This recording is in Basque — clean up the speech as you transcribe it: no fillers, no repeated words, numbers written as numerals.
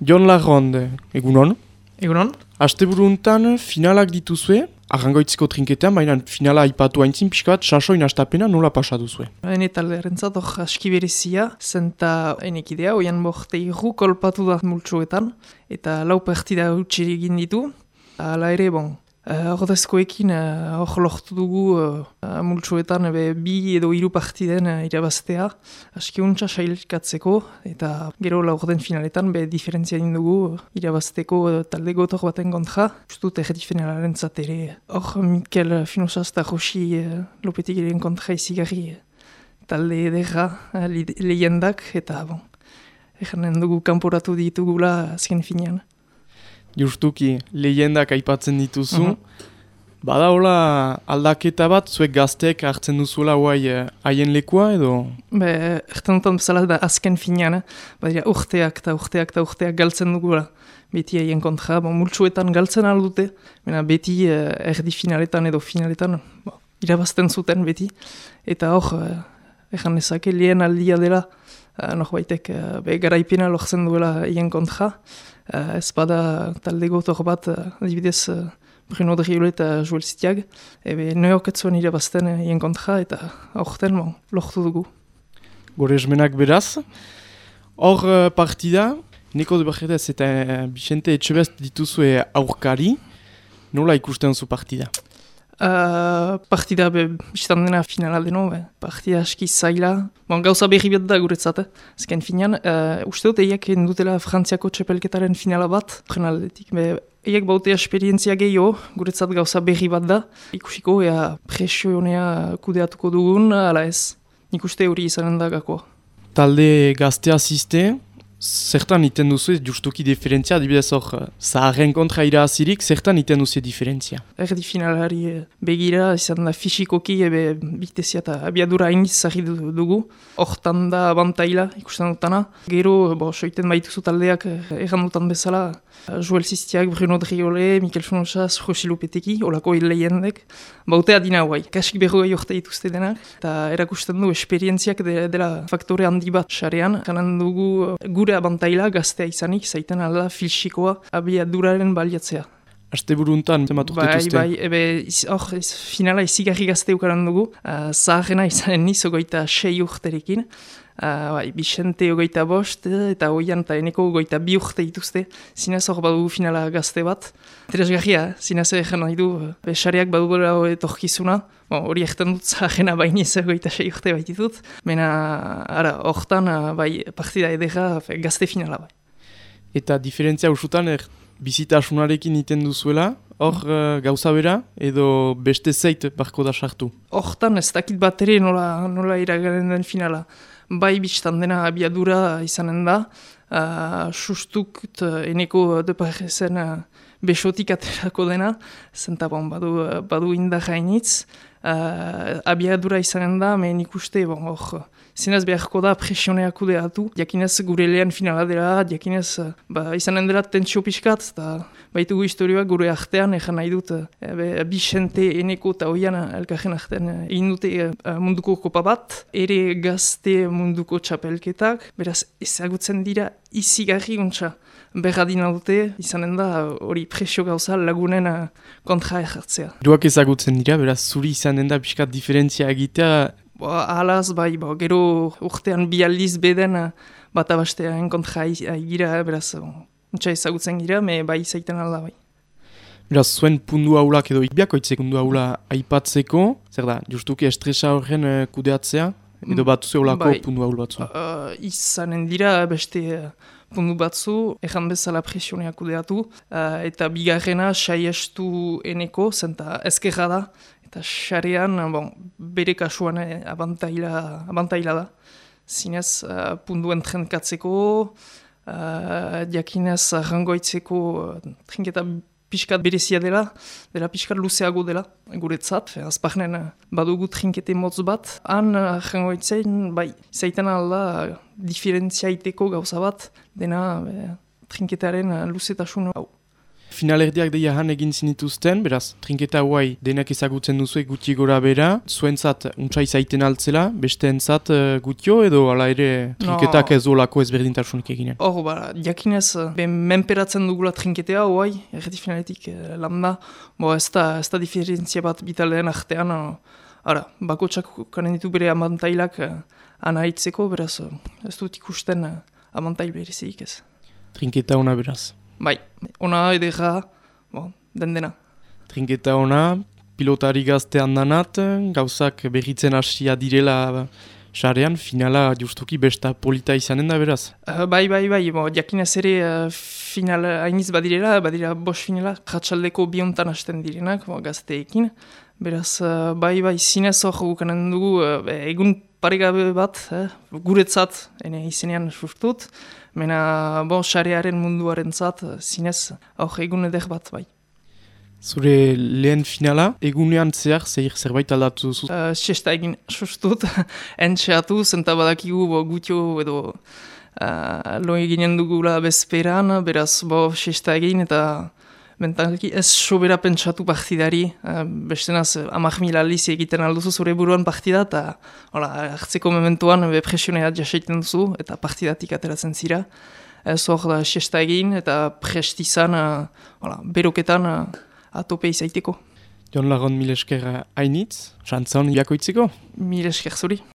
Jon Larronde, egunon. Egunon? Asteburuntan finalak dituzue, arrangoitziko trinketean, baina finala aipatu haintzin pixka bat, sasoin astapena nola pasatu zue? Hene taldearentzat hor aski berezia, zenta enekidea, oian borte irru kolpatu da multsuetan, eta lau partida utxiri egin ditu. Hala ere, ordezkoekin hor lortu dugu multsuetan bi edo hiru partiden irabaztea, aski untsa sailkatzeko, eta gero laurden finaletan diferentzia egin dugu irabazteko talde gotor baten kontra. Justut erdi finalaren ere, hor Mikel Finosaz eta Josi Lopetegien kontra izigarri talde ederra lehendak, eta eganen dugu kanporatu ditugula azken finean. Justuki, lehendak aipatzen dituzu. Bada hola aldaketa bat, zuek gazteek hartzen duzuela haien lekua edo? Erten dutan bezala da azken finean, badira urteak galtzen dugula. Beti haien kontra, multsuetan galtzen aldute, beti erdi finaletan edo finaletan irabazten zuten beti. Eta hor, egan ezake lehen aldia dela, norbaitek garaipena lortzen duela haien kontra. Ez bada talde gotor bat, adibidez Bruno Driole eta Joel Zitiag, neoketzuen irabazten haien kontra eta aurten lortu dugu. Gore esmenak beraz. Hor partida, Neko de Barretez eta Bixente Etxebest dituzue aurkari, nola ikusten zu partida? Partida biztan dena finala deno, partida aski zaila. Gauza berri bat da guretzat, azken finean. Uste dut eiak dutela Frantziako txepelketaren finala bat, prenaldetik. Eiak baute esperientzia gehiago, guretzat gauza berri bat da. Ikusiko, presio honea kudeatuko dugun, ala ez. Nik uste hori izanen da gakoa. Talde gaztea ziste, zertan iten duzu justuki diferentzia, adibidez hor zaharren kontra irazirik, zertan iten duzu diferentzia? Erdi finalari begira, izan da fisikoki, bitezia eta abiadura hainiz zahid dugu. Hortan da abantaila ikusten dutana. Gero, soiten baituzu taldeak erran dutan bezala, Joel Ziztiak, Bruno Driole, Mikel Finosaz, Josi Lopetegi, olako lehendek. Bautea dina guai, kasik berrogei orte dituzte denak. Eta erakusten du esperientziak dela faktore handi bat sarean. Ganan dugu gure abantaila gaztea izanik, zaiten alda filsikoa abiaduraren baliatzea. Asteburuntan, zematu dituzte? Hor, finala izigarri gazte ukaran dugu. Zaharrena izanen niz, ogoita 6 urterekin. Bixente ogoita 5, eta oian eta eneko ogoita 2 urte dituzte. Zinez hor badugu finala gazte bat. Interesgarria, zinez egin nahi du, sareak badugu etorkizuna. Hori egiten dut zaharrena bainiz ogoita 6 urte baititut. Hortan, partida edera gazte finala bai. Eta diferentzia usutan, bizitasunarekin iten duzuela, hor gauza bera, edo beste zeit barko da sartu? Hortan ez dakit bat ere nola iragaren den finala. Bai biztan dena abiadura izanen da, sustuk eneko deparezen besotik aterako dena, zenta badu indar hainitz, abiadura izanen da, mehen ikuste, hor, zinez beharko da presioneak kudeatu, jakinez gure lehen finala dela, jakinez izanen dela tentsio pixkat, eta baitugu historioak gure artean, egan nahi dut, Bixente, eneko eta oian elkarren artean egin dute munduko kopa bat, ere gazte munduko txapelketak, beraz ezagutzen dira izigarri untsa. Berradina dute, izanen da hori presio gauza lagunen kontra ejartzea. Duak ezagutzen dira, beraz zuri izanen da pixkat diferentzia egitea? Alaz, gero urtean bi aldiz beden bat abastean kontra aigira, beraz untsa ezagutzen gira, bai zaiten alda bai. Beraz, zuen pundu haulak edo biakoitzek pundu haula aipatzeko, zer da, justuki estresa horren kudeatzea, edo bat zeolako pundu haul batzu? Izanen dira beste pundu batzu, egan bezala presioneak kudeatu, eta bigarrena saiestu eneko, zenta ezkerra da, eta xarean, bere kasuan abantaila da. Zinez, punduen trenkatzeko, jakinez rangoitzeko trinketa pixkat berezia dela pixkat luzeago dela, guretzat, azpagnen badugu trinkete motz bat, han rangoitzen, zaiten alda diferentziaiteko gauza bat, dena trinketaren luzetasun hau. Finalerdiak deia han egin zinituzten, beraz, trinketa huai denak ezagutzen duzu gutxi gora bera, zuentzat untsa izaiten altzela, besteentzat gutio edo ala ere trinketak ez olako ezberdintasunik eginen? Hor, jakinez, menperatzen dugula trinketea huai, erreti finaletik landa, ez da diferentzia bat bitaldeen artean, bakotsak kanen ditu bere amantailak anaitzeko, beraz, ez dut ikusten amantail berezik ez. Trinketa ona beraz. Bai, ona edera, dena. Trinketa ona, pilotari gaztean danat, gauzak berritzen hasia direla sarean, finala justuki besta polita izanen da beraz. Bai, jakinez ere final hainiz badira 5 finala, kratsaldeko biontan hasten direnak, gazteekin. Beraz, bai, zinez hor gukanen dugu, egun paregabe bat, guretzat, izenean sustut, mena, sarearen munduaren zat, zinez, hor egun eder bat, bai. Zure lehen finala, egunean zerbait aldatu duzu? Siesta egin sustut, entxeatu, zenta badakigu gutio edo lo eginen dugula bezperan, beraz, siesta egin eta bentanki ez sobera pentsatu partidari, bestenaz 10.000 aldiz egiten alduzu zure buruan partida, eta hartzeko mementuan presioneat jaseiten duzu, eta partidatik ateratzen zira. Ez hor da siesta egin, eta prestizan, beroketan atope izaiteko. Jon Lagon mil esker hainitz, xantzon jakoitzeko? Mil esker zuri.